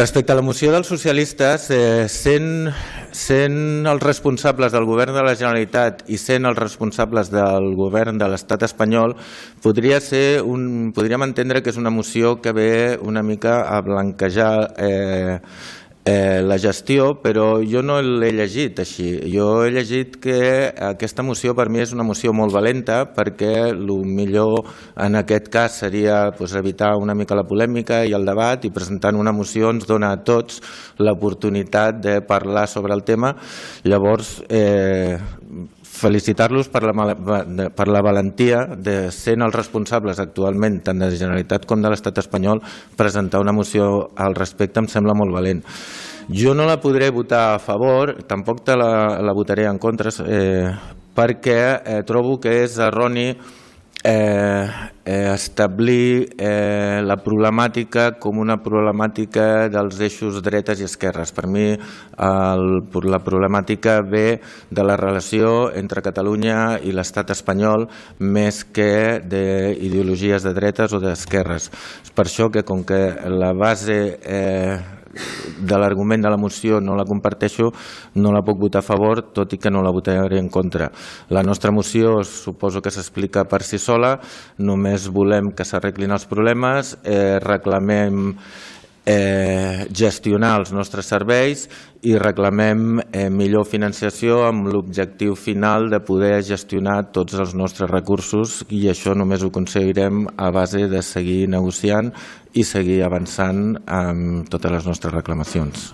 Respecte a la moció dels socialistes, sent els responsables del govern de la Generalitat i sent els responsables del govern de l'Estat espanyol, podríem entendre que és una moció que ve una mica a blanquejar la gestió, però jo no l'he llegit així. Jo he llegit que aquesta moció per mi és una moció molt valenta, perquè el millor en aquest cas seria evitar una mica la polèmica i el debat, i presentant una moció ens dona a tots l'oportunitat de parlar sobre el tema. Llavors, felicitar-los per la valentia de, sent els responsables actualment tant de la Generalitat com de l'Estat espanyol, presentar una moció al respecte em sembla molt valent. Jo no la podré votar a favor, tampoc la votaré en contra, perquè trobo que és erroni establir la problemàtica com una problemàtica dels eixos dretes i esquerres. Per mi la problemàtica ve de la relació entre Catalunya i l'Estat espanyol més que d'ideologies de dretes o d'esquerres. És per això que, com que la base de l'argument de la moció no la comparteixo, no la puc votar a favor, tot i que no la votaré en contra. La nostra moció suposo que s'explica per si sola, només volem que s'arreglin els problemes, reclamem gestionar els nostres serveis i reclamem millor financiació amb l'objectiu final de poder gestionar tots els nostres recursos, i això només ho aconseguirem a base de seguir negociant i seguir avançant amb totes les nostres reclamacions.